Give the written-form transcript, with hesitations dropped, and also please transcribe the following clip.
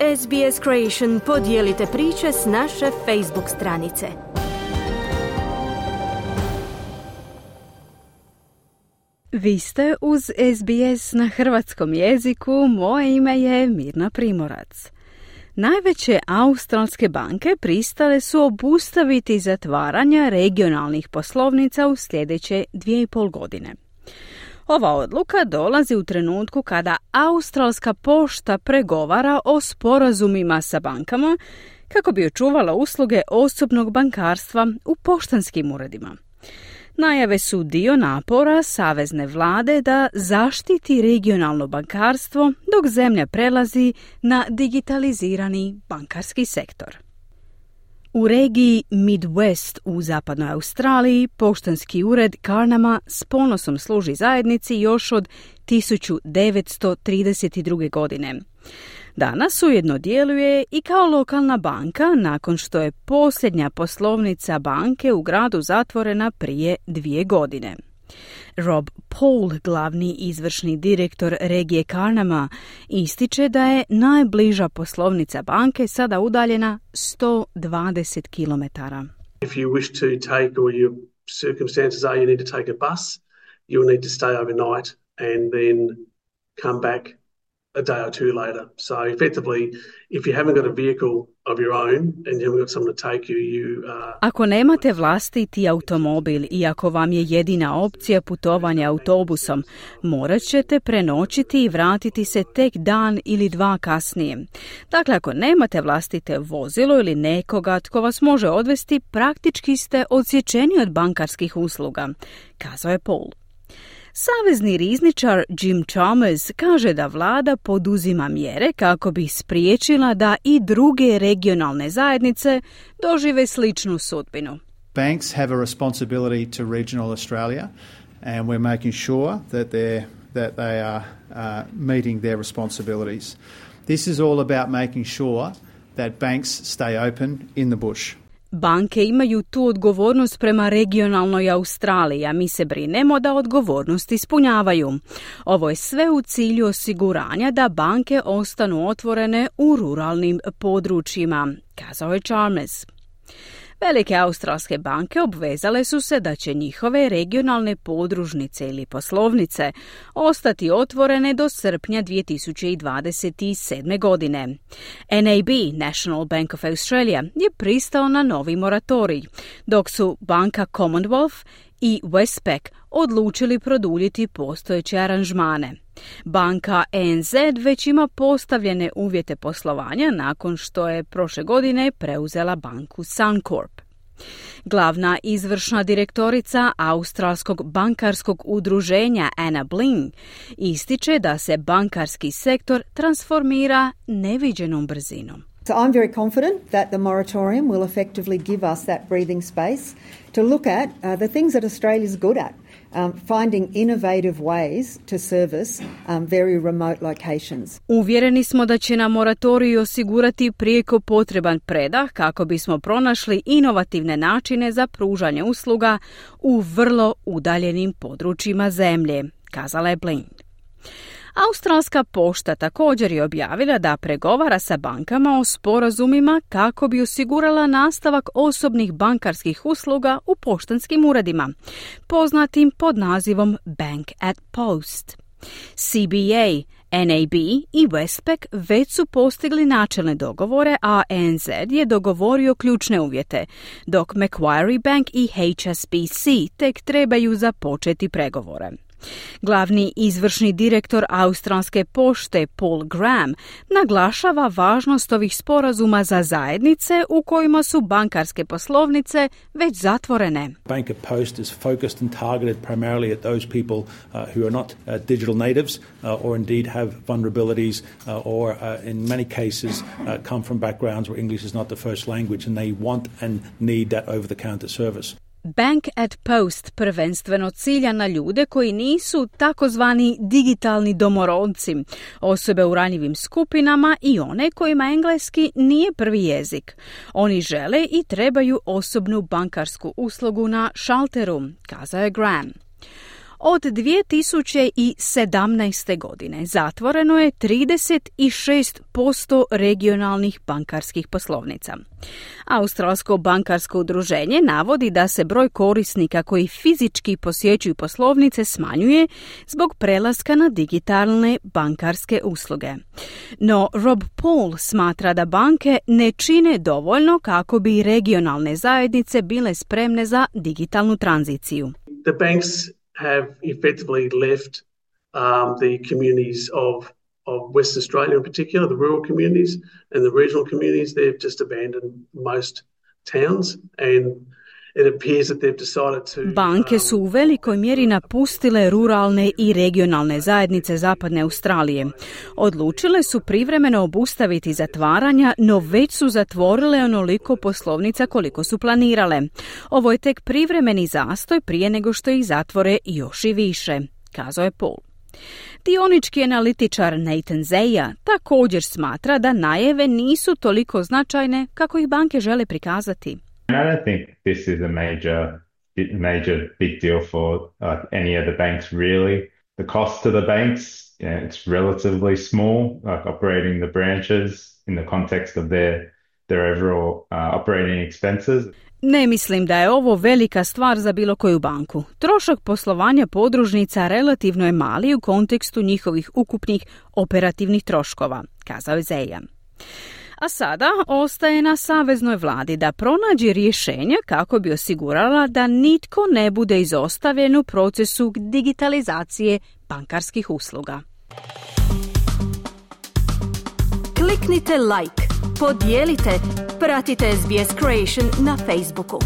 SBS Creation podijelite priče s naše Facebook stranice. Vi ste uz SBS na hrvatskom jeziku, moje ime je Mirna Primorac. Najveće australske banke pristale su obustaviti zatvaranja regionalnih poslovnica u sljedeće 2,5 godine. Ova odluka dolazi u trenutku kada Australska pošta pregovara o sporazumima sa bankama kako bi očuvala usluge osobnog bankarstva u poštanskim uredima. Najave su dio napora savezne vlade da zaštiti regionalno bankarstvo dok zemlja prelazi na digitalizirani bankarski sektor. U regiji Midwest u zapadnoj Australiji poštanski ured Carnama s ponosom služi zajednici još od 1932. godine. Danas ujedno djeluje i kao lokalna banka nakon što je posljednja poslovnica banke u gradu zatvorena prije 2 godine. Rob Paul, glavni izvršni direktor regije Carnama, ističe da je najbliža poslovnica banke sada udaljena 120 km. If you wish to take, or your circumstances are you need to take a bus, you'll need to stay overnight and then come back a day or two later. So effectively, if you haven't got a vehicle of your own and you haven't got someone to take you, Ako nemate vlastiti automobil i ako vam je jedina opcija putovanja autobusom, morat ćete prenoćiti i vratiti se tek dan ili 2 kasnije. Dakle, ako nemate vlastite vozilo ili nekoga tko vas može odvesti, praktički ste odsječeni od bankarskih usluga, kazao je Paul. Savezni rizničar Jim Chalmers kaže da vlada poduzima mjere kako bi spriječila da i druge regionalne zajednice dožive sličnu sudbinu. Banks have a responsibility to regional Australia and we're making sure that they are meeting their responsibilities. This is all about making sure that banks stay open in the bush. Banke imaju tu odgovornost prema regionalnoj Australiji, a mi se brinemo da odgovornost ispunjavaju. Ovo je sve u cilju osiguranja da banke ostanu otvorene u ruralnim područjima, kazao je Chalmers. Velike australske banke obvezale su se da će njihove regionalne podružnice ili poslovnice ostati otvorene do srpnja 2027. godine. NAB, National Bank of Australia, je pristao na novi moratorij, dok su banka Commonwealth i Westpac odlučili produljiti postojeće aranžmane. Banka ANZ već ima postavljene uvjete poslovanja nakon što je prošle godine preuzela banku Suncorp. Glavna izvršna direktorica Australskog bankarskog udruženja Anna Bling ističe da se bankarski sektor transformira neviđenom brzinom. So I'm very confident that the moratorium will effectively give us that breathing space to look at the things that Australia's good at. Finding innovative ways to service very remote locations. Uvjereni smo da će nam moratorij osigurati prijeko potreban predah kako bismo pronašli inovativne načine za pružanje usluga u vrlo udaljenim područjima zemlje, kazala je Blind. Australska pošta također je objavila da pregovara sa bankama o sporazumima kako bi osigurala nastavak osobnih bankarskih usluga u poštanskim uredima, poznatim pod nazivom Bank at Post. CBA, NAB i Westpac već su postigli načelne dogovore, a ANZ je dogovorio ključne uvjete, dok Macquarie Bank i HSBC tek trebaju započeti pregovore. Glavni izvršni direktor Australske pošte Paul Graham naglašava važnost ovih sporazuma za zajednice u kojima su bankarske poslovnice već zatvorene. Bank at Post is focused and targeted primarily at those people who are not digital natives or indeed have vulnerabilities or in many cases come from backgrounds where English is not the first language and they want and need that over-the-counter service. Bank at Post prvenstveno cilja na ljude koji nisu takozvani digitalni domorodci, osobe u ranjivim skupinama i one kojima engleski nije prvi jezik. Oni žele i trebaju osobnu bankarsku uslugu na šalteru, kazao je Graham. Od 2017. godine zatvoreno je 36% regionalnih bankarskih poslovnica. Australsko bankarsko udruženje navodi da se broj korisnika koji fizički posjećuju poslovnice smanjuje zbog prelaska na digitalne bankarske usluge. No Rob Paul smatra da banke ne čine dovoljno kako bi regionalne zajednice bile spremne za digitalnu tranziciju. The banks have effectively left the communities of Western Australia in particular, the rural communities and the regional communities. They've just abandoned most towns and it appears that they've decided to... Banke su u velikoj mjeri napustile ruralne i regionalne zajednice zapadne Australije. Odlučile su privremeno obustaviti zatvaranja, no već su zatvorile onoliko poslovnica koliko su planirale. Ovo je tek privremeni zastoj prije nego što ih zatvore još i više, kazao je Paul. Dionički analitičar Nathan Zeya također smatra da najave nisu toliko značajne kako ih banke žele prikazati. I don't think this is a major big deal for any of the banks really. The cost to the banks, it's relatively small, like operating the branches in the context of their overall operating expenses. Ne mislim da je ovo velika stvar za bilo koju banku. Trošak poslovanja podružnica relativno je mali u kontekstu njihovih ukupnih operativnih troškova, kazao je Zeya. A sada ostaje na saveznoj vladi da pronađe rješenja kako bi osigurala da nitko ne bude izostavljen u procesu digitalizacije bankarskih usluga. Kliknite like, podijelite, pratite SBS Creation na Facebooku.